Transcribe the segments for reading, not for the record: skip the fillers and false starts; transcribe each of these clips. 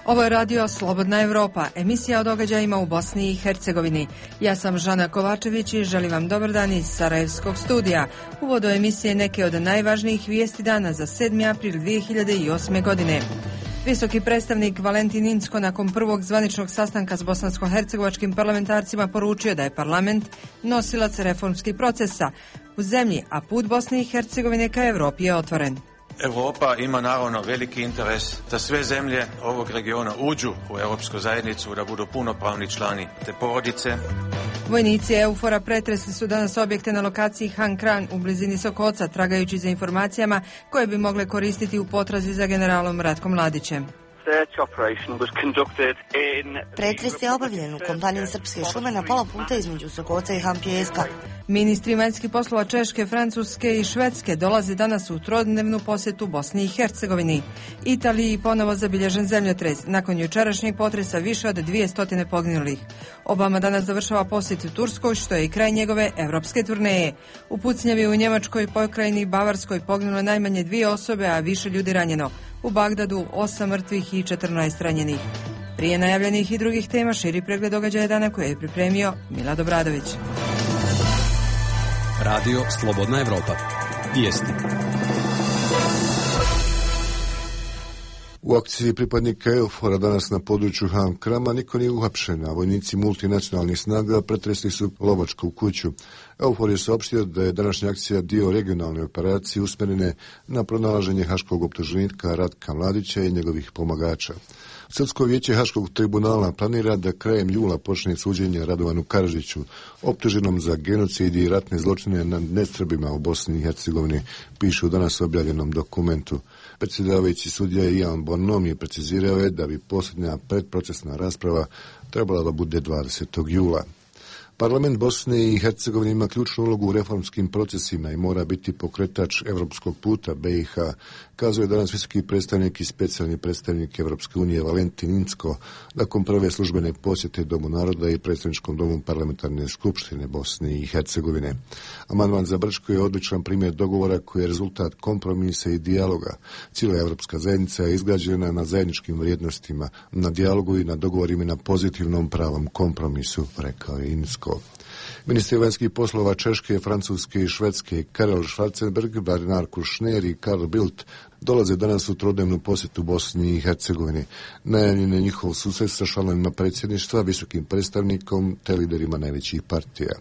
Ovo je radio Slobodna Evropa, emisija o događajima u Bosni i Hercegovini. Ja sam Žana Kovačević i želim vam dobar dan iz Sarajevskog studija. U uvodu emisije neke od najvažnijih vijesti dana za 7. april 2008. godine. Visoki predstavnik Valentin Incko nakon prvog zvaničnog sastanka s bosansko-hercegovačkim parlamentarcima poručio da je parlament nosilac reformskih procesa u zemlji, a put Bosne i Hercegovine ka Evropi je otvoren. Europa ima naravno veliki interes da sve zemlje ovog regiona uđu u Europsku zajednicu, da budu punopravni člani te porodice. Vojnici EUFOR-a pretresli su danas objekte na lokaciji Han Kran u blizini Sokoca, tragajući za informacijama koje bi mogle koristiti u potrazi za generalom Ratkom Mladićem. Pretres je obavljen u kompaniji Srpske šume na pola puta između Sokoca i Han Pijeska. Ministri vanjskih poslova Češke, Francuske i Švedske dolaze danas u trodnevnu posjetu Bosni i Hercegovini. Italiji ponovo zabilježen zemljotres. Nakon jučerašnjeg potresa više od 200 poginulih. Obama danas završava posjet u Turskoj, što je i kraj njegove evropske turneje. U pucnjavi u Njemačkoj pokrajini Bavarskoj poginulo najmanje 2 osobe, a više ljudi ranjeno. U Bagdadu 8 mrtvih i 14 ranjenih. Prije najavljenih i drugih tema širi pregled događaja dana koje je pripremio Milad Obradović. Radio Slobodna Evropa. Vijesti. U akciji pripadnika EUFOR-a danas na području Han Krama niko nije uhapšen, a vojnici multinacionalnih snaga pretresli su lovačku kuću. EUFOR je saopštio da je današnja akcija dio regionalne operacije usmjerene na pronalaženje haškog optuženika Ratka Mladića i njegovih pomagača. Srpsko vijeće Haškog tribunala planira da krajem jula počne suđenje Radovanu Karadžiću, optuženom za genocid i ratne zločine nad nesrbima u Bosni i Hercegovini, piše u danas objavljenom dokumentu. Predsjedavajući sudija Ian Bonnom je precizirao da bi posljednja predprocesna rasprava trebala da bude 20. jula. Parlament Bosne i Hercegovine ima ključnu ulogu u reformskim procesima i mora biti pokretač evropskog puta BiH, kazao je danas visoki predstavnik i specijalni predstavnik Evropske unije Valentin Incko nakon prve službene posjete Domu naroda i predstavničkom domu parlamentarne skupštine Bosne i Hercegovine. Amandman za Brčko je odličan primjer dogovora koji je rezultat kompromisa i dijaloga. Cijela evropska zajednica je izgrađena na zajedničkim vrijednostima, na dijalogu i na dogovorima i na pozitivnom pravom kompromisu, rekao je Incko. Ministri vanjskih poslova Češke, Francuske i Švedske Karel Schwarzenberg, Bernard Kouchner i Carl Bildt dolaze danas u trodnevnu posjetu Bosni i Hercegovini. Najavljen je njihov susret sa članovima predsjedništva, visokim predstavnikom te liderima najvećih partija.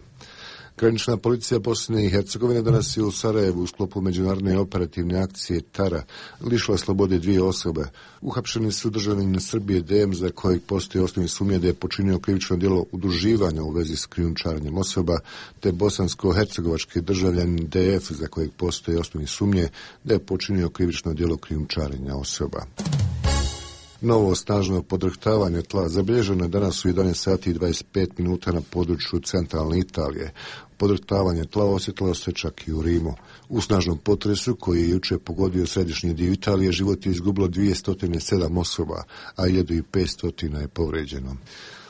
Granična policija Bosne i Hercegovine danas je u Sarajevu u sklopu međunarodne operativne akcije Tara lišila slobode 2 osobe. Uhapšeni su državljanin Srbije DM za kojeg postoji osnovni sumnje da je počinio krivično djelo udruživanja u vezi s krijumčarenjem osoba, te bosansko-hercegovački državljanin DF za kojeg postoji osnovni sumnje da je počinio krivično djelo krijumčarenja osoba. Novo snažno podrhtavanje tla zabilježeno je danas u 11 sati i 25 minuta na području centralne Italije. Podrhtavanje tla osjetilo se čak i u Rimu. U snažnom potresu koji je jučer pogodio središnji dio Italije život je izgubilo 207 osoba, a 1500 je povređeno.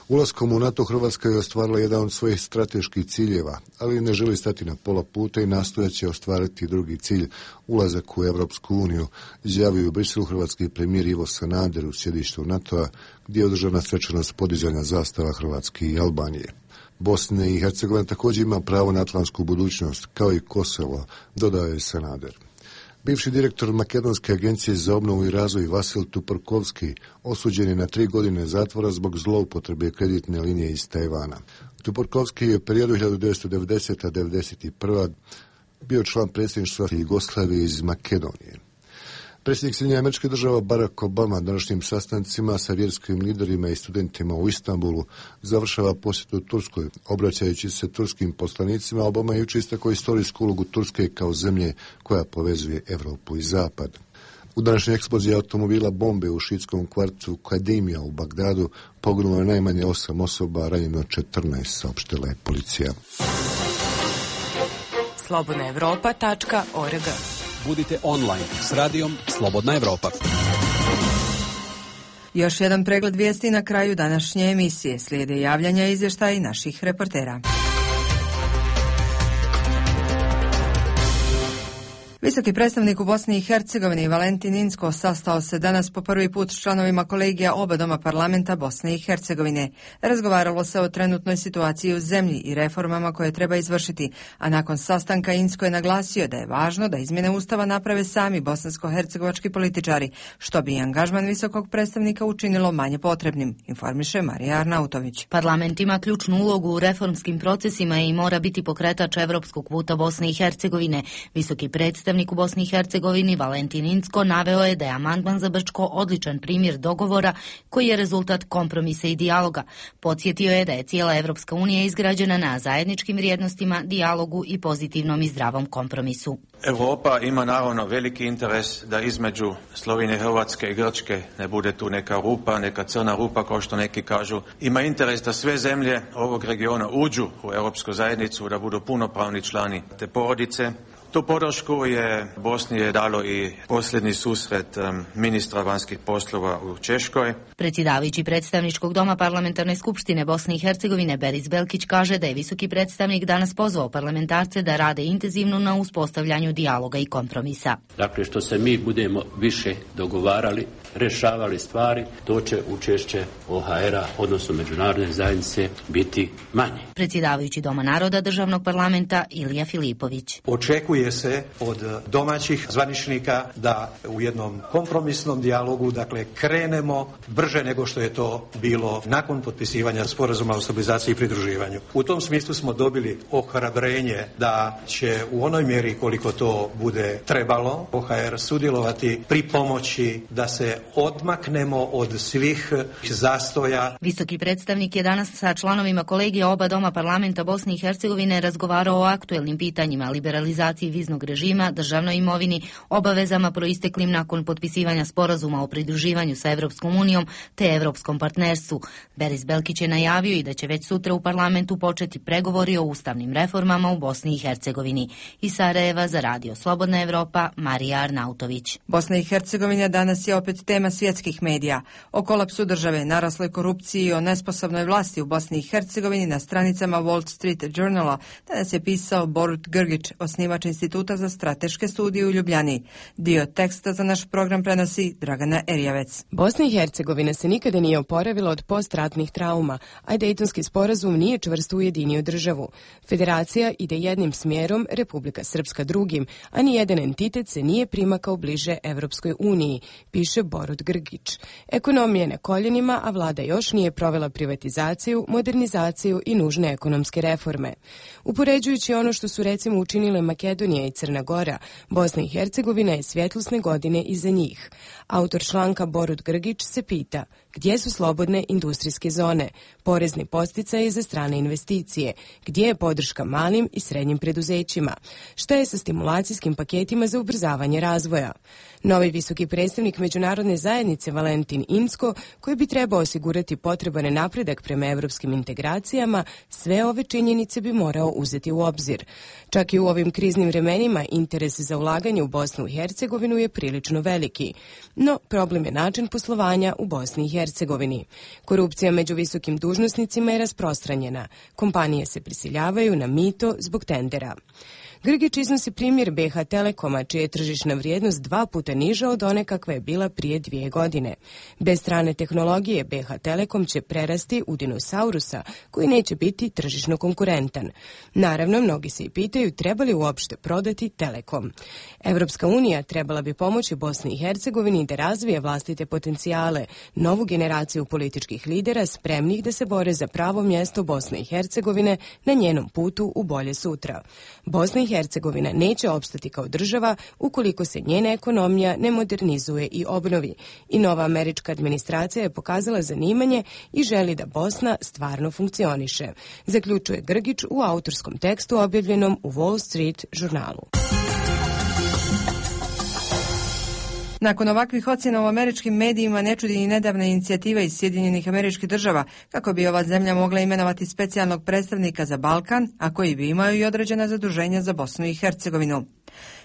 Ulaskom u NATO Hrvatska je ostvarila jedan od svojih strateških ciljeva, ali ne želi stati na pola puta i nastojat će ostvariti drugi cilj, ulazak u Evropsku uniju, izjavio u Briselu hrvatski premijer Ivo Sanader u sjedištu NATO-a, gdje je održana svečanost podizanja zastava Hrvatske i Albanije. Bosna i Hercegovina također ima pravo na atlantsku budućnost, kao i Kosovo, dodao je Sanader. Bivši direktor Makedonske agencije za obnovu i razvoj Vasil Tuporkovski osuđen je na 3 godine zatvora zbog zloupotrebe kreditne linije iz Tajvana. Tuporkovski je u periodu 1990-1991 bio član predsjedništva Jugoslavije iz Makedonije. Predsjednik Sjedinjenih Američkih Država Barack Obama današnjim sastancima sa vjerskim liderima i studentima u Istanbulu završava posjetu Turskoj. Obraćajući se turskim poslanicima, Obama je jučer istakao istorijsku ulogu Turske kao zemlje koja povezuje Evropu i Zapad. U današnjoj eksploziji automobila bombe u šiitskom kvartu Kadimija u Bagdadu poginulo je najmanje 8 osoba, ranjeno 14, saopštila je policija. slobodnaevropa.org. Budite online s radijom Slobodna Evropa. Još jedan pregled vijesti na kraju današnje emisije. Slijede javljanja i izvještaji naših reportera. Visoki predstavnik u Bosni i Hercegovini Valentin Inzko sastao se danas po prvi put s članovima kolegija oba doma parlamenta Bosne i Hercegovine. Razgovaralo se o trenutnoj situaciji u zemlji i reformama koje treba izvršiti, a nakon sastanka Inzko je naglasio da je važno da izmjene Ustava naprave sami bosansko-hercegovački političari, što bi angažman visokog predstavnika učinilo manje potrebnim, informiše Marija Arnautović. Parlament ima ključnu ulogu u reformskim procesima i mora biti pokretač evropskog puta Bosne i Hercegovine. Visoki predstavnik u Bosni i Hercegovini Valentin Inzko naveo je da je amandman za Brčko odličan primjer dogovora koji je rezultat kompromisa i dijaloga. Podsjetio je da je cijela Evropska unija izgrađena na zajedničkim vrijednostima, dijalogu i pozitivnom i zdravom kompromisu. Europa ima naravno veliki interes da između Slovenije, Hrvatske i Grčke ne bude tu neka rupa, neka crna rupa kao što neki kažu. Ima interes da sve zemlje ovog regiona uđu u Europsku zajednicu, da budu punopravni člani te porodice. Tu podršku je Bosni dalo i posljednji susret ministra vanjskih poslova u Češkoj. Predsjedavajući predstavničkog doma Parlamentarne skupštine Bosne i Hercegovine Beris Belkić kaže da je visoki predstavnik danas pozvao parlamentarce da rade intenzivno na uspostavljanju dijaloga i kompromisa. Dakle, što se mi budemo više dogovarali, rešavali stvari, to će učešće OHR-a, odnosno međunarodne zajednice, biti manje. Predsjedavajući Doma naroda državnog parlamenta Ilija Filipović. Očekuje se od domaćih zvaničnika da u jednom kompromisnom dijalogu, dakle, krenemo brže nego što je to bilo nakon potpisivanja sporazuma o stabilizaciji i pridruživanju. U tom smislu smo dobili ohrabrenje da će u onoj mjeri koliko to bude trebalo OHR sudjelovati pri pomoći da se odmaknemo od svih zastoja. Visoki predstavnik je danas sa članovima kolegija oba doma parlamenta Bosne i Hercegovine razgovarao o aktuelnim pitanjima, liberalizaciji viznog režima, državnoj imovini, obavezama proisteklim nakon potpisivanja sporazuma o pridruživanju sa Evropskom unijom te evropskom partnerstvu. Beris Belkić je najavio i da će već sutra u parlamentu početi pregovori o ustavnim reformama u Bosni i Hercegovini. Iz Sarajeva za Radio Slobodna Evropa, Marija Arnautović. Bosna i Hercegovina danas je opet tema svjetskih medija. O kolapsu države, narasloj korupciji i o nesposobnoj vlasti u Bosni i Hercegovini na stranicama Wall Street Journala danas je pisao Borut Grgić, osnivač Instituta za strateške studije u Ljubljani. Dio teksta za naš program prenosi Dragana Erjavec. Bosna i Hercegovina se nikada nije oporavila od postratnih trauma, a Dejtonski sporazum nije čvrsto ujedinio državu. Federacija ide jednim smjerom, Republika Srpska drugim, a nijedan entitet se nije primakao bliže Evropskoj uniji, piše Borut Grgić. Ekonomija je na koljenima, a vlada još nije provela privatizaciju, modernizaciju i nužne ekonomske reforme. Upoređujući ono što su recimo učinile Makedonija i Crna Gora, Bosna i Hercegovina je svjetlosne godine iza njih. Autor članka Borut Grgić se pita gdje su slobodne industrijske zone, porezni podsticaji za strane investicije, gdje je podrška malim i srednjim preduzećima, šta je sa stimulacijskim paketima za ubrzavanje razvoja. Novi visoki predstavnik međunarodne zajednice Valentin Inzko, koji bi trebao osigurati potreban napredak prema evropskim integracijama, sve ove činjenice bi morao uzeti u obzir. Čak i u ovim kriznim vremenima interes za ulaganje u Bosnu i Hercegovinu je prilično veliki. No, problem je način poslovanja u Bosni i Hercegovini. Korupcija među visokim dužnosnicima je rasprostranjena. Kompanije se prisiljavaju na mito zbog tendera. Grgić iznosi primjer BH Telekoma, čija je tržišna vrijednost 2 puta niža od one kakva je bila prije 2 godine. Bez strane tehnologije BH Telekom će prerasti u dinosaurusa, koji neće biti tržišno konkurentan. Naravno, mnogi se i pitaju treba li uopšte prodati Telekom. Evropska unija trebala bi pomoći Bosni i Hercegovini da razvije vlastite potencijale, novu generaciju političkih lidera spremnih da se bore za pravo mjesto Bosne i Hercegovine na njenom putu u bolje sutra. Bosna i Hercegovina neće opstati kao država ukoliko se njena ekonomija ne modernizuje i obnovi. I nova američka administracija je pokazala zanimanje i želi da Bosna stvarno funkcioniše, zaključuje Grgić u autorskom tekstu objavljenom u Wall Street žurnalu. Nakon ovakvih ocjena u američkim medijima ne čudi ni nedavna inicijativa iz Sjedinjenih Američkih Država kako bi ova zemlja mogla imenovati specijalnog predstavnika za Balkan, a koji bi imao i određena zaduženja za Bosnu i Hercegovinu.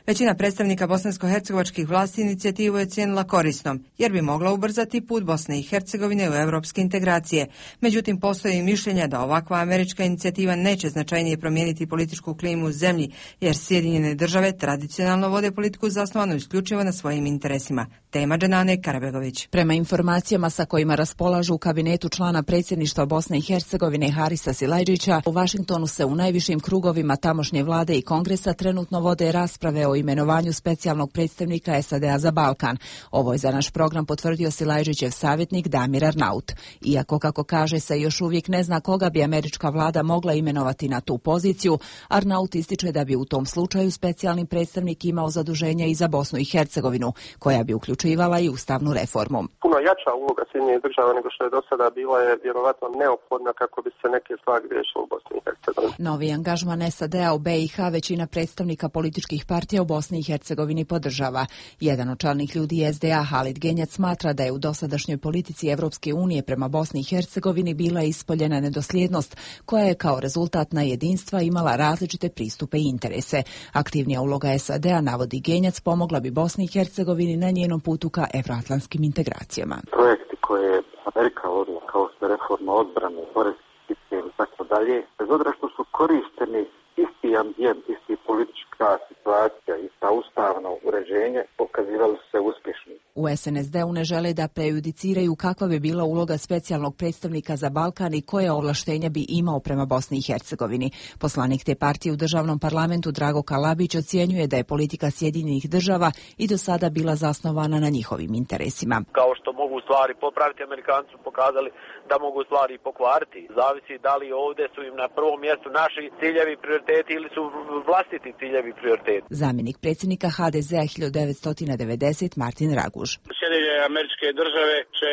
Većina predstavnika bosansko-hercegovačkih vlasti inicijativu je cijenila korisnom, jer bi mogla ubrzati put Bosne i Hercegovine u europske integracije. Međutim, postoji mišljenja da ovakva američka inicijativa neće značajnije promijeniti političku klimu u zemlji, jer Sjedinjene države tradicionalno vode politiku zasnovanu isključivo na svojim interesima. Tema Dženane Karabegović. Prema informacijama sa kojima raspolažu u kabinetu člana predsjedništva Bosne i Hercegovine Harisa Silajdžića, u Vašingtonu se u najvišim krugovima tamošnje vlade i kongresa trenutno vode rasprave o imenovanju specijalnog predstavnika SAD-a za Balkan. Ovo je za naš program potvrdio Silajdžićev savjetnik Damir Arnaut. Iako, kako kaže, se još uvijek ne zna koga bi američka vlada mogla imenovati na tu poziciju, Arnaut ističe da bi u tom slučaju specijalni predstavnik imao zaduženje i za Bosnu i Hercegovinu, koja bi uključivala i ustavnu reformu. Puno jača uloga Sjedinjenih država nego što je do sada bila je vjerovatno neophodna kako bi se neke stvari riješile u Bosni i Hercegovini. Novi angažman SAD-a u BiH većina predstavnika političkih partija u Bosni i Hercegovini podržava. Jedan od čelnih ljudi SDA, Halid Genjac, smatra da je u dosadašnjoj politici Evropske unije prema Bosni i Hercegovini bila ispoljena nedosljednost, koja je kao rezultat na jedinstva imala različite pristupe i interese. Aktivnija uloga SAD-a, navodi Genjac, pomogla bi Bosni i Hercegovini na njenom putu ka evroatlantskim integracijama. Projekti koje Amerika vodila, kao što je reforma odbrane, poreski sistem i tako dalje, bez obzira što su koristeni isti ambijent, isti politička situacija, ista ustavno uređenje, pokazivali su se uspješni. U SNSD-u ne žele da prejudiciraju kakva bi bila uloga specijalnog predstavnika za Balkan i koje ovlaštenja bi imao prema Bosni i Hercegovini. Poslanik te partije u državnom parlamentu Drago Kalabić ocjenjuje da je politika Sjedinjenih država i do sada bila zasnovana na njihovim interesima. Kao što mogu stvari popraviti, Amerikanci su pokazali da mogu stvari pokvariti. Zavisi da li ovdje su im na prvom mjestu naši ciljevi prioriteti ili su vlastiti ciljevi prioriteti. Zamjenik predsjednika HDZ-a 1990 Martin Raguž. Sjedinjene Američke države će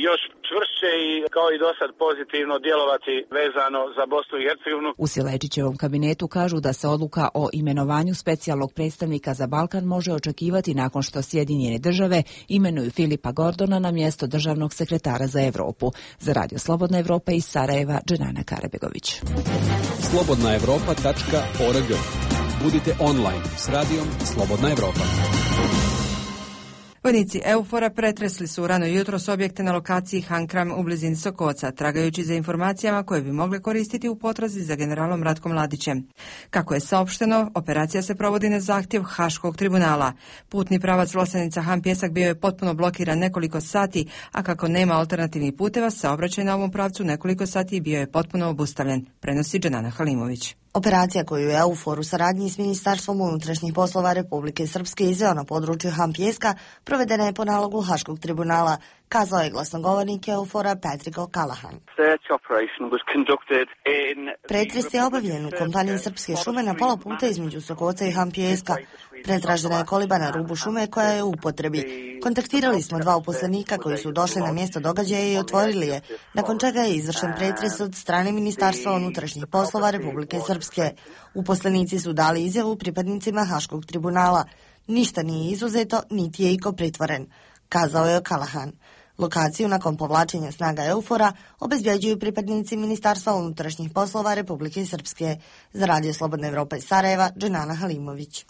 još čvršće i kao i dosad pozitivno djelovati vezano za Bosnu i Hercegovinu. U Silajdžićevom kabinetu kažu da se odluka o imenovanju specijalnog predstavnika za Balkan može očekivati nakon što Sjedinjene države imenuju Filipa Gordona na mjesto državnog sekretara za Europu. Za Radio Slobodna Evropa iz Sarajeva, Dženana Karabegović. slobodnaevropa.org. Budite online s radijom Slobodna Evropa. Vojnici EUFOR-a pretresli su rano jutros objekte na lokaciji Hankram u blizini Sokoca, tragajući za informacijama koje bi mogle koristiti u potrazi za generalom Ratkom Mladićem. Kako je saopšteno, operacija se provodi na zahtjev Haškog tribunala. Putni pravac Vlasenica-Han Pjesak bio je potpuno blokiran nekoliko sati, a kako nema alternativnih puteva, saobraćaj na ovom pravcu nekoliko sati bio je potpuno obustavljen, prenosi Dženana Halimović. Operacija koju je EUFOR u saradnji s Ministarstvom unutrašnjih poslova Republike Srpske izveo na području Han Pjeska provedena je po nalogu Haškog tribunala, kazao je glasnogovornik EUFOR-a Patrick O'Callaghan. Pretres je obavljen u kompaniji Srpske šume na pola puta između Sokoca i Han Pjeska. Pretražena je koliba na rubu šume koja je u upotrebi. Kontaktirali smo dva uposlenika koji su došli na mjesto događaja i otvorili je, nakon čega je izvršen pretres od strane Ministarstva unutrašnjih poslova Republike Srpske. Uposlenici su dali izjavu pripadnicima Haškog tribunala. Ništa nije izuzeto, niti je iko pritvoren, kazao je O'Callaghan. Lokaciju nakon povlačenja snaga EUFOR-a obezbjeđuju pripadnici Ministarstva unutrašnjih poslova Republike Srpske. Za Radio Slobodna Evropa iz Sarajeva, Dženana Halimović.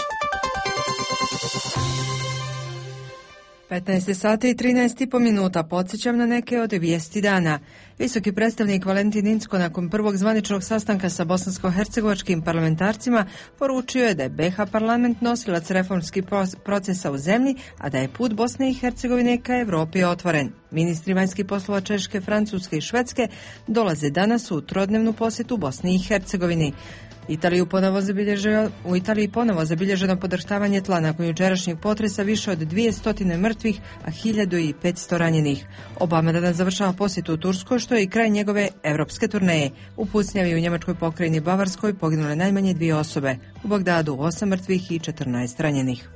15 sati i 13,5 minuta. Podsjećam na neke od vijesti dana. Visoki predstavnik Valentin Incko nakon prvog zvaničnog sastanka sa bosansko-hercegovačkim parlamentarcima poručio je da je BiH parlament nosilac reformskih procesa u zemlji, a da je put Bosne i Hercegovine ka Evropi otvoren. Ministri vanjskih poslova Češke, Francuske i Švedske dolaze danas u trodnevnu posjetu Bosni i Hercegovini. U Italiji ponovo zabilježeno podrhtavanje tla nakon jučerašnjeg potresa, više od 200 mrtvih, a 1500 ranjenih. Obama danas završava posjetu u Turskoj, što je i kraj njegove evropske turneje. U pucnjavi u njemačkoj pokrajini Bavarskoj poginule najmanje 2 osobe. U Bagdadu 8 mrtvih i 14 ranjenih.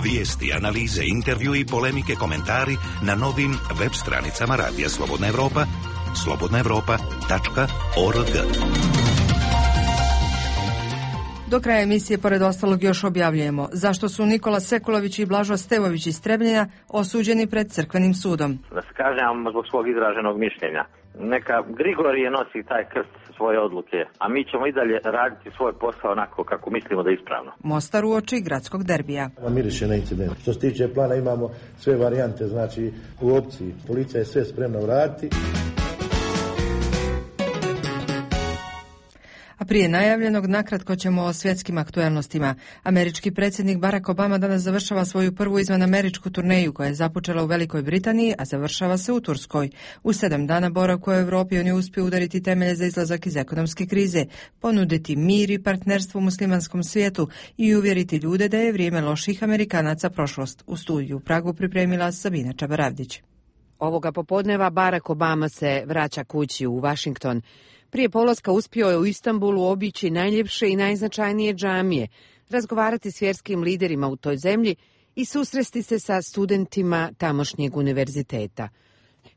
Vijesti, analize, intervju i polemike, komentari na novim web stranicama Radija Slobodna Evropa, slobodnaevropa.org. Do kraja emisije, pored ostalog, još objavljujemo zašto su Nikola Sekulović i Blažo Stevović iz Trebljena osuđeni pred crkvenim sudom. Da se kažem zbog svog izraženog mišljenja. Neka Grigorije nosi taj krst svoje odluke, a mi ćemo i dalje raditi svoj posao onako kako mislimo da je ispravno. Mostar uoči gradskog derbija. Miriše na incident. Što se tiče plana imamo sve varijante, znači u opciji. Policija je sve spremna uraditi. A prije najavljenog nakratko ćemo o svjetskim aktuelnostima. Američki predsjednik Barack Obama danas završava svoju prvu izvanameričku turneju koja je započela u Velikoj Britaniji, a završava se u Turskoj. U 7 dana boravka u Europi on je uspio udariti temelje za izlazak iz ekonomske krize, ponuditi mir i partnerstvo u muslimanskom svijetu i uvjeriti ljude da je vrijeme loših Amerikanaca prošlost. U studiju u Pragu pripremila Sabina Čabaravdić. Ovoga popodneva Barack Obama se vraća kući u Washington. Prije polaska uspio je u Istanbulu obići najljepše i najznačajnije džamije, razgovarati s vjerskim liderima u toj zemlji i susresti se sa studentima tamošnjeg univerziteta.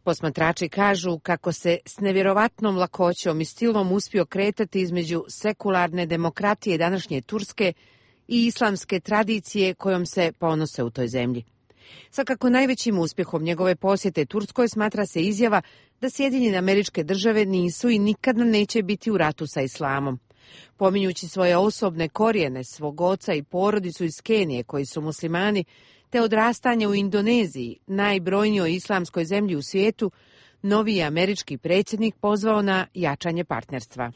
Posmatrači kažu kako se s nevjerovatnom lakoćom i stilom uspio kretati između sekularne demokratije današnje Turske i islamske tradicije kojom se ponose u toj zemlji. Svakako najvećim uspjehom njegove posjete Turskoj smatra se izjava da Sjedinjene Američke Države nisu i nikada neće biti u ratu sa islamom. Pominjući svoje osobne korijene, svog oca i porodicu iz Kenije koji su muslimani, te odrastanje u Indoneziji, najbrojnijoj islamskoj zemlji u svijetu, novi američki predsjednik pozvao na jačanje partnerstva.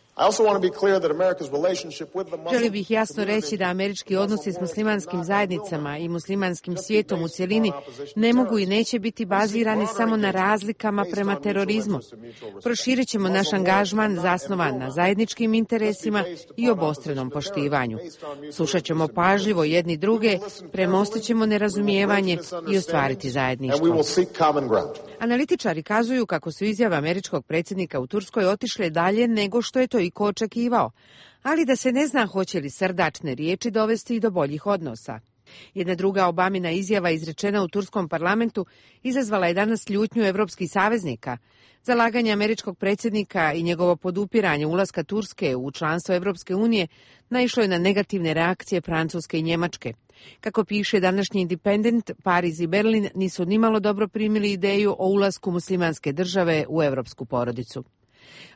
Želio bih jasno reći da američki odnosi s muslimanskim zajednicama i muslimanskim svijetom u cjelini ne mogu i neće biti bazirani samo na razlikama prema terorizmu. Proširit ćemo naš angažman zasnovan na zajedničkim interesima i obostranom poštivanju. Slušat ćemo pažljivo jedni druge, premostit ćemo nerazumijevanje i ostvariti zajedništvo. Analitičari kazuju kako su izjave američkog predsjednika u Turskoj otišle dalje nego što je to iko očekivao, ali da se ne zna hoće li srdačne riječi dovesti i do boljih odnosa. Jedna druga Obamina izjava izrečena u turskom parlamentu izazvala je danas ljutnju evropskih saveznika. Zalaganje američkog predsjednika i njegovo podupiranje ulaska Turske u članstvo Evropske unije naišlo je na negativne reakcije Francuske i Njemačke. Kako piše današnji Independent, Pariz i Berlin nisu nimalo dobro primili ideju o ulasku muslimanske države u evropsku porodicu.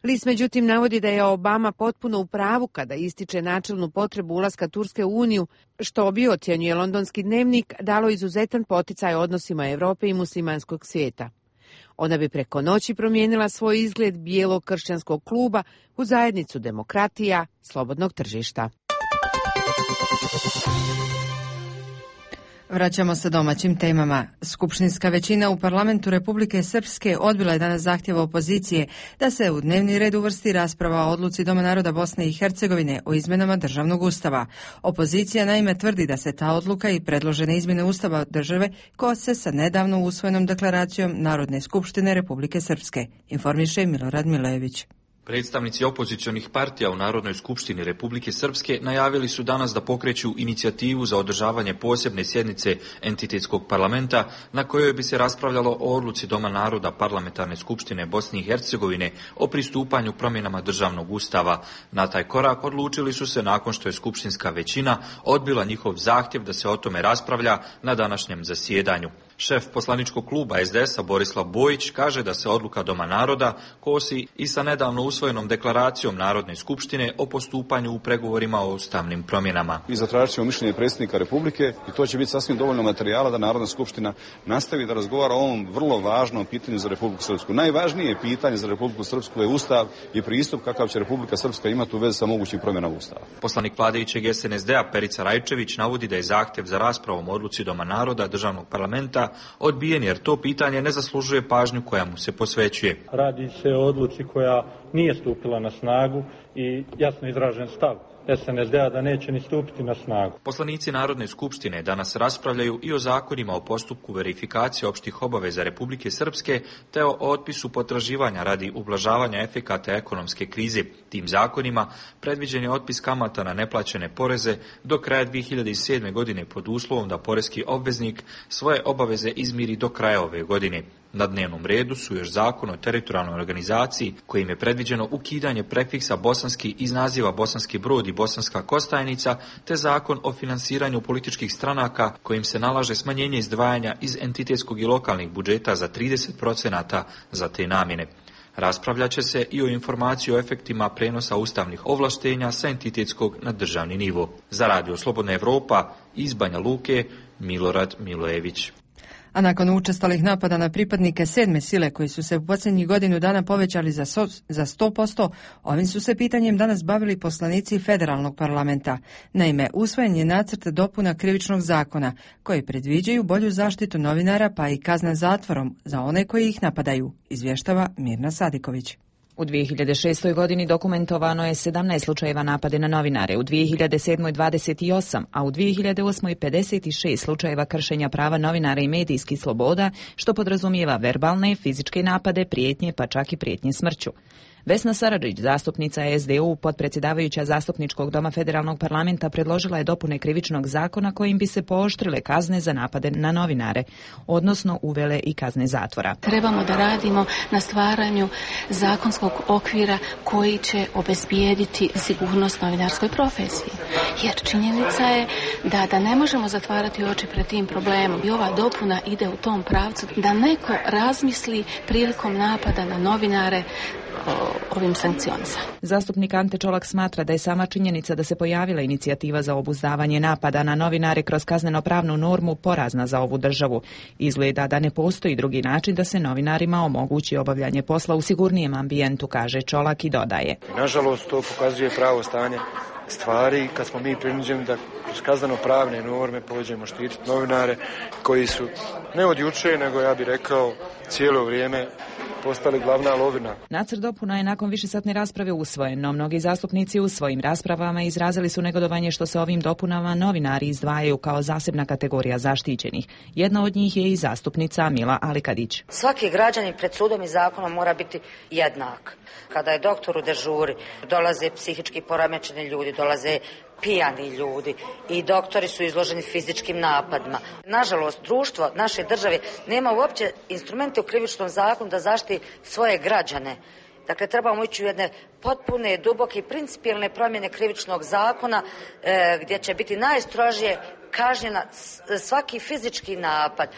List međutim navodi da je Obama potpuno u pravu kada ističe načelnu potrebu ulaska Turske u Uniju, što bi, ocjenjuje londonski dnevnik, dalo izuzetan poticaj odnosima Europe i muslimanskog svijeta. Ona bi preko noći promijenila svoj izgled bijelog kršćanskog kluba u zajednicu demokratija, slobodnog tržišta. Vraćamo se domaćim temama. Skupštinska većina u parlamentu Republike Srpske odbila je danas zahtjev opozicije da se u dnevni red uvrsti rasprava o odluci Doma naroda Bosne i Hercegovine o izmjenama državnog ustava. Opozicija naime tvrdi da se ta odluka i predložene izmjene ustava države kose sa nedavno usvojenom deklaracijom Narodne skupštine Republike Srpske, informiše Milorad Milejević. Predstavnici opozicionih partija u Narodnoj skupštini Republike Srpske najavili su danas da pokreću inicijativu za održavanje posebne sjednice entitetskog parlamenta na kojoj bi se raspravljalo o odluci Doma naroda Parlamentarne skupštine Bosne i Hercegovine o pristupanju promjenama državnog ustava. Na taj korak odlučili su se nakon što je skupštinska većina odbila njihov zahtjev da se o tome raspravlja na današnjem zasjedanju. Šef poslaničkog kluba SDS-a Borislav Bojić kaže da se odluka Doma naroda kosi i sa nedavno usvojenom deklaracijom Narodne skupštine o postupanju u pregovorima o ustavnim promjenama. I zatražit ćemo mišljenje predsjednika Republike i to će biti sasvim dovoljno materijala da Narodna skupština nastavi da razgovara o ovom vrlo važnom pitanju za Republiku Srpsku. Najvažnije pitanje za Republiku Srpsku je ustav i pristup kakav će Republika Srpska imati u vezi sa mogućim promjenama ustava. Poslanik vladajućeg SNSD-a Perica Rajčević navodi da je zahtjev za raspravom o odluci Doma naroda državnog parlamenta odbijen jer to pitanje ne zaslužuje pažnju koja mu se posvećuje. Radi se o odluci koja nije stupila na snagu i jasno izražen stav SNSD-a da neće ni stupiti na snagu. Poslanici Narodne skupštine danas raspravljaju i o zakonima o postupku verifikacije opštih obaveza Republike Srpske te o otpisu potraživanja radi ublažavanja efekata ekonomske krize. Tim zakonima predviđen je otpis kamata na neplaćene poreze do kraja 2007. godine pod uslovom da poreski obveznik svoje obaveze izmiri do kraja ove godine. Na dnevnom redu su još zakon o teritorijalnoj organizaciji kojim je predviđeno ukidanje prefiksa bosanski iz naziva Bosanski Brod i Bosanska Kostajnica te zakon o finansiranju političkih stranaka kojim se nalaže smanjenje izdvajanja iz entitetskog i lokalnih budžeta za 30% za te namjene. Raspravljat će se i o informaciji o efektima prenosa ustavnih ovlaštenja sa entitetskog na državni nivo. Za Radio Slobodna Evropa iz Banja Luke, Milorad Milojević. A nakon učestalih napada na pripadnike 7. sile koji su se u posljednjih godinu dana povećali za 100%, ovim su se pitanjem danas bavili poslanici Federalnog parlamenta. Naime, usvojen je nacrt dopuna krivičnog zakona koji predviđaju bolju zaštitu novinara pa i kazna zatvorom za one koji ih napadaju, izvještava Mirna Sadiković. U 2006. godini dokumentovano je 17 slučajeva napade na novinare, u 2007. 28, a u 2008. 56 slučajeva kršenja prava novinara i medijskih sloboda, što podrazumijeva verbalne, fizičke napade, prijetnje, pa čak i prijetnje smrću. Vesna Saradžić, zastupnica SDU, potpredsjedavajuća zastupničkog doma Federalnog parlamenta, predložila je dopune krivičnog zakona kojim bi se pooštrile kazne za napade na novinare, odnosno uvele i kazne zatvora. Trebamo da radimo na stvaranju zakonskog okvira koji će obezbijediti sigurnost novinarskoj profesiji. Jer činjenica je da ne možemo zatvarati oči pred tim problemom. I ova dopuna ide u tom pravcu da neko razmisli prilikom napada na novinare ovim sankcionisa. Zastupnik Ante Čolak smatra da je sama činjenica da se pojavila inicijativa za obuzdavanje napada na novinare kroz kazneno-pravnu normu porazna za ovu državu. Izgleda da ne postoji drugi način da se novinarima omogući obavljanje posla u sigurnijem ambijentu, kaže Čolak i dodaje. Nažalost, to pokazuje pravo stanje stvari kad smo mi prinuđeni da kroz kazneno-pravne norme pođemo štititi novinare koji su ne od juče, nego ja bih rekao cijelo vrijeme postali glavna lovina. Nacrt dopuna je nakon višesatne rasprave usvojen, no mnogi zastupnici u svojim raspravama izrazili su negodovanje što se ovim dopunama novinari izdvajaju kao zasebna kategorija zaštićenih. Jedna od njih je i zastupnica Mila Alikadić. Svaki građanin pred sudom i zakonom mora biti jednak. Kada je doktor u dežuri, dolaze psihički poremećeni ljudi, dolaze pijani ljudi i doktori su izloženi fizičkim napadima. Nažalost, društvo naše države nema uopće instrumente u krivičnom zakonu da zaštiti svoje građane. Dakle, trebamo ići u jedne potpune, duboke i principijelne promjene krivičnog zakona gdje će biti najstrožije kažnjena svaki fizički napad,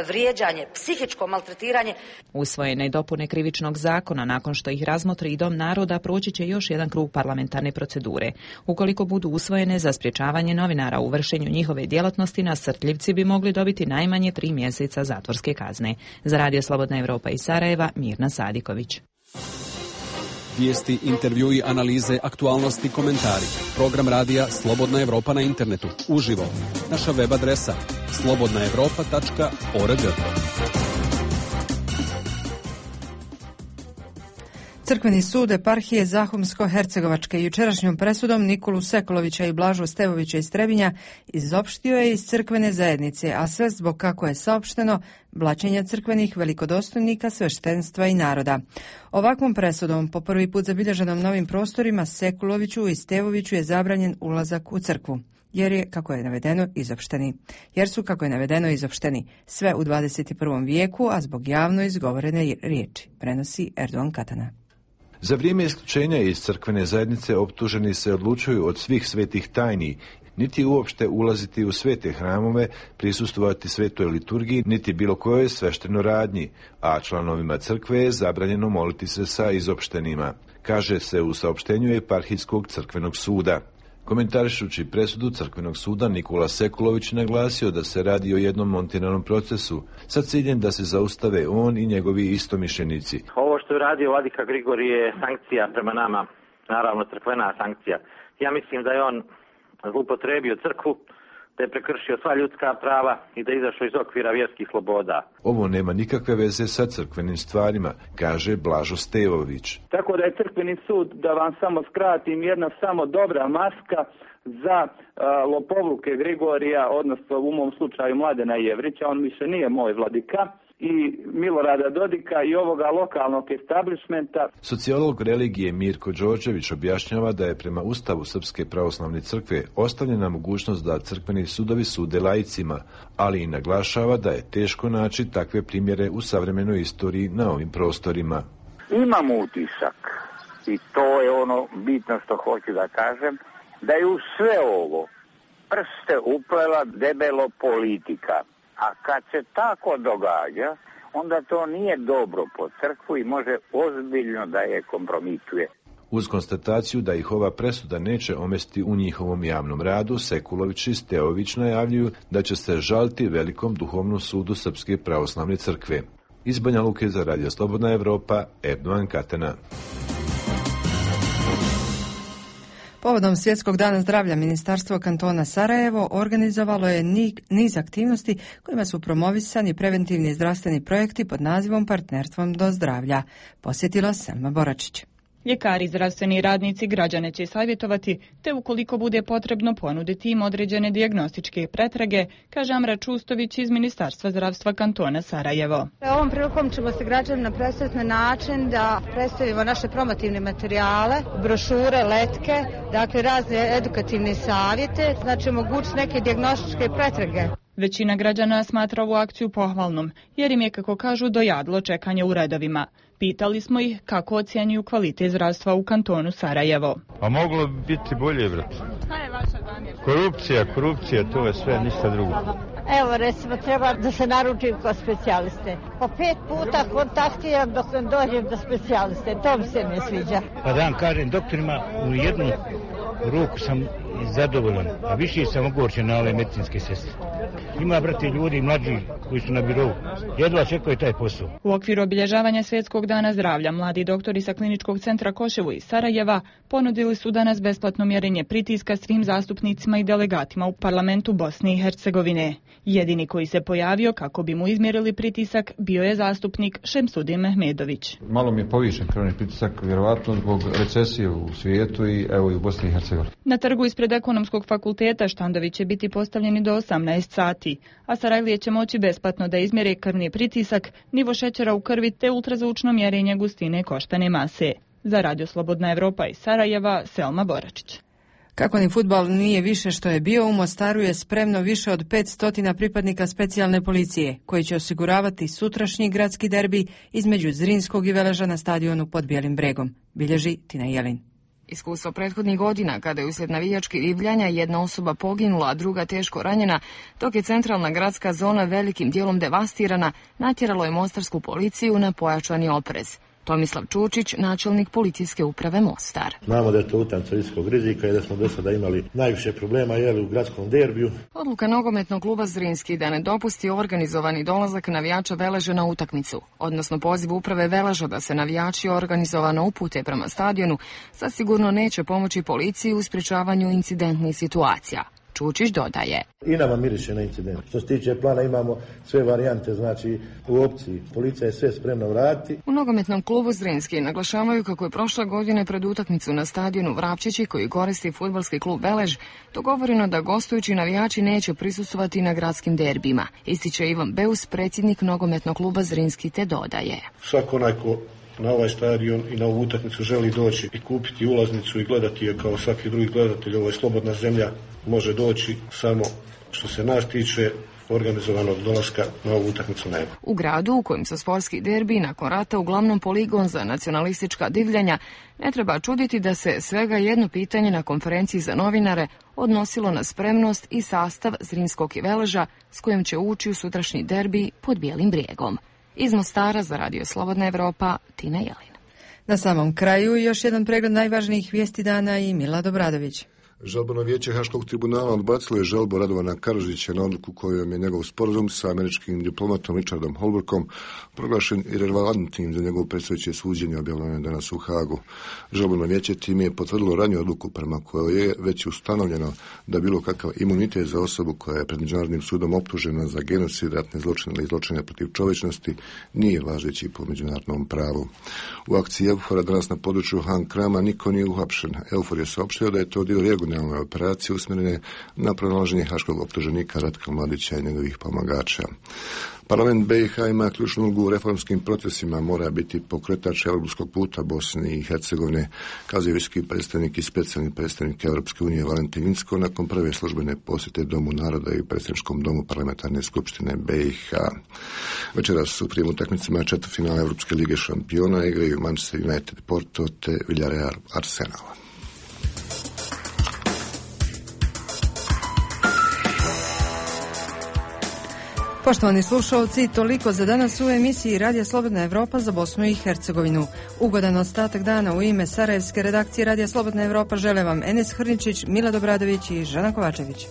vrijeđanje, psihičko maltretiranje. Usvojene dopune krivičnog zakona, nakon što ih razmotri i Dom naroda, proći će još jedan krug parlamentarne procedure. Ukoliko budu usvojene za sprječavanje novinara u vršenju njihove djelatnosti, nasrtljivci bi mogli dobiti najmanje 3 mjeseca zatvorske kazne. Za Radio Slobodna Evropa iz Sarajeva, Mirna Sadiković. Vijesti, intervjui, analize, aktualnosti, komentari. Program radija Slobodna Evropa na internetu. Uživo. Naša web adresa slobodnaevropa.org. Crkveni sud eparhije Zahumsko-Hercegovačke jučerašnjom presudom Nikolu Sekulovića i Blažu Stevovića iz Trebinja izopštio je iz crkvene zajednice, a sve zbog, kako je saopšteno, blaćenja crkvenih velikodostojnika, sveštenstva i naroda. Ovakvom presudom, po prvi put zabilježenom novim prostorima, Sekuloviću i Stevoviću je zabranjen ulazak u crkvu. Jer su, kako je navedeno, izopšteni sve u 21. vijeku, a zbog javno izgovorene riječi, prenosi Erdogan Katana. Za vrijeme isključenja iz crkvene zajednice optuženi se odlučuju od svih svetih tajni, niti uopšte ulaziti u svete hramove, prisustvovati svetoj liturgiji, niti bilo kojoj sveštenoj radnji, a članovima crkve je zabranjeno moliti se sa izopštenima, kaže se u saopštenju Eparhijskog crkvenog suda. Komentarišući presudu crkvenog suda, Nikola Sekulović naglasio da se radi o jednom montiranom procesu sa ciljem da se zaustave on i njegovi istomišljenici. Ovo što je radio vladika Grigorije je sankcija prema nama, naravno crkvena sankcija. Ja mislim da je on zloupotrebio crkvu, da je prekršio sva ljudska prava i da je izašao iz okvira vjerskih sloboda. Ovo nema nikakve veze sa crkvenim stvarima, kaže Blažo Stevović. Tako da je crkveni sud, da vam samo skratim, jedna samo dobra maska za lopovluke Grigorija, odnosno u mom slučaju Mladena Jevrića, on više nije moj vladika, i Milorada Dodika i ovoga lokalnog establishmenta. Sociolog religije Mirko Đorđević objašnjava da je prema Ustavu Srpske pravoslavne crkve ostavljena mogućnost da crkveni sudovi sude laicima, ali i naglašava da je teško naći takve primjere u savremenoj istoriji na ovim prostorima. Imam utisak, i to je ono bitno što hoću da kažem, da je u sve ovo prste uplela debelo politika. A kad se tako događa, onda to nije dobro po crkvu i može ozbiljno da je kompromituje. Uz konstataciju da ih ova presuda neće omesti u njihovom javnom radu, Sekulović i Steović najavljuju da će se žaliti Velikom duhovnom sudu Srpske pravoslavne crkve. Iz Banja Luke za Radio Slobodna Evropa, Erdogan Katena. Povodom Svjetskog dana zdravlja, Ministarstvo kantona Sarajevo organizovalo je niz aktivnosti kojima su promovisani preventivni zdravstveni projekti pod nazivom Partnerstvom do zdravlja. Posjetila Selma Boračić. Ljekari i zdravstveni radnici građane će savjetovati, te ukoliko bude potrebno ponuditi im određene dijagnostičke pretrage, kaže Amra Čustović iz Ministarstva zdravstva kantona Sarajevo. Ovom prilikom ćemo se građanima predstaviti na način da predstavimo naše promotivne materijale, brošure, letke, dakle razne edukativne savjete, znači omogućiti neke dijagnostičke pretrage. Većina građana smatra ovu akciju pohvalnom, jer im je, kako kažu, dojadilo čekanje u redovima. Pitali smo ih kako ocjenjuju kvalitet zdravstva u kantonu Sarajevo. A moglo bi biti bolje, brate. Šta je vaša zamjerka? Korupcija, to je sve, ništa drugo. Evo, recimo, treba da se naručim kod specijaliste. Po 5 puta kontaktiram dok ne dođem do specijaliste. To mi se ne sviđa. Pa da vam kažem, doktorima u jednu ruku sam zadovoljan, a više sam ogorčen na ove medicinske sestre. Ima, brate, ljudi mlađi koji su na birovu. Jedva čekaju taj posao. U okviru obilježavanja Svjetskog dana zdravlja, mladi doktori sa Kliničkog centra Koševo iz Sarajeva ponudili su danas besplatno mjerenje pritiska svim zastupnicima i delegatima u parlamentu Bosne i Hercegovine. Jedini koji se pojavio kako bi mu izmjerili pritisak bio je zastupnik Šemsudin Mehmedović. Malo mi je povišen krvni pritisak, vjerovatno zbog recesije u svijetu i evo i u Bosni i Hercegovini. Na trgu ispred Ekonomskog fakulteta štandovi će biti postavljeni do 18 sati, a Sarajlije će moći besplatno da izmjere krvni pritisak, nivo šećera u krvi te ultrazvučno mjerenje gustine koštane mase. Za Radio Slobodna Evropa iz Sarajeva, Selma Boračić. Kako ni fudbal nije više što je bio, u Mostaru je spremno više od 500 pripadnika specijalne policije, koji će osiguravati sutrašnji gradski derbi između Zrinskog i Veleža na stadionu pod Bijelim bregom, bilježi Tina Jelin. Iskustvo prethodnih godina, kada je uslijed navijačkih divljanja jedna osoba poginula, a druga teško ranjena, dok je centralna gradska zona velikim dijelom devastirana, natjeralo je mostarsku policiju na pojačani oprez. Tomislav Čučić, načelnik policijske uprave Mostar. Znamo da je to utakmica visokog rizika i da smo do sada imali najviše problema u gradskom derbiju. Odluka nogometnog kluba Zrinski da ne dopusti organizovani dolazak navijača Veleža na utakmicu, odnosno poziv uprave Veleža da se navijači organizovano upute prema stadionu, zasigurno neće pomoći policiji u sprječavanju incidentnih situacija. Čučić dodaje. I nama miriše na incident. Što se tiče plana imamo sve varijante, znači u opciji. Policija je sve spremna vratiti. U nogometnom klubu Zrinski naglašavaju kako je prošle godine pred utakmicu na stadionu Vrapčići, koji koristi fudbalski klub Velež, dogovoreno da gostujući navijači neće prisustvovati na gradskim derbima. Ističe Ivan Beus, predsjednik nogometnog kluba Zrinski, te dodaje. Svako onaj ko na ovaj stadion i na ovu utakmicu želi doći i kupiti ulaznicu i gledati je kao svaki drugi gledatelj, ovo je slobodna zemlja, može doći, samo što se nas tiče organizovanog dolaska na ovu utakmicu nema. U gradu u kojem su sportski derbi nakon rata uglavnom poligon za nacionalistička divljanja, ne treba čuditi da se svega jedno pitanje na konferenciji za novinare odnosilo na spremnost i sastav Zrinskog i Veleža s kojim će ući u sutrašnji derbi pod Bijelim brijegom. Iz Mostara za Radio Slobodna Evropa, Tina Jelin. Na samom kraju još jedan pregled najvažnijih vijesti dana i Milad Obradović. Žalbeno vijeće Haškog tribunala odbacilo je žalbu Radovana Karadžića na odluku kojom je njegov sporazum sa američkim diplomatom Richardom Holbrookom proglašen irelevantnim za njegovo predstojeće suđenje, objavljeno je danas u Hagu. Žalbeno vijeće time je potvrdilo raniju odluku prema kojoj je već ustanovljeno da bilo kakav imunitet za osobu koja je pred međunarodnim sudom optužena za genocid, ratne zločine ili zločine protiv čovječnosti nije važeći po međunarodnom pravu. U akciji Eufora danas na području Han Krama niko nije uhapšen. Eufor je saopštio da je to dio regionalne operacije usmjerene na pronalaženje haškog optuženika Ratka Mladića i njegovih pomagača. Parlament BiH ima ključnu ulogu u reformskim procesima, mora biti pokretač europskog puta Bosne i Hercegovine, kazuje visoki predstavnik i specijalni predstavnik Europske unije Valentin Inzko nakon prve službene posjete Domu naroda i predsjedničkom domu parlamentarne skupštine BiH. Večeras u prvim utakmicama četvrtfinala Europske lige šampiona igraju Manchester United Porto te Villarreal Arsenal. Poštovani slušalci, toliko za danas u emisiji Radija Slobodna Evropa za Bosnu i Hercegovinu. Ugodan ostatak dana u ime Sarajevske redakcije Radija Slobodna Evropa žele vam Enes Hrničić, Milad Obradović i Žana Kovačević.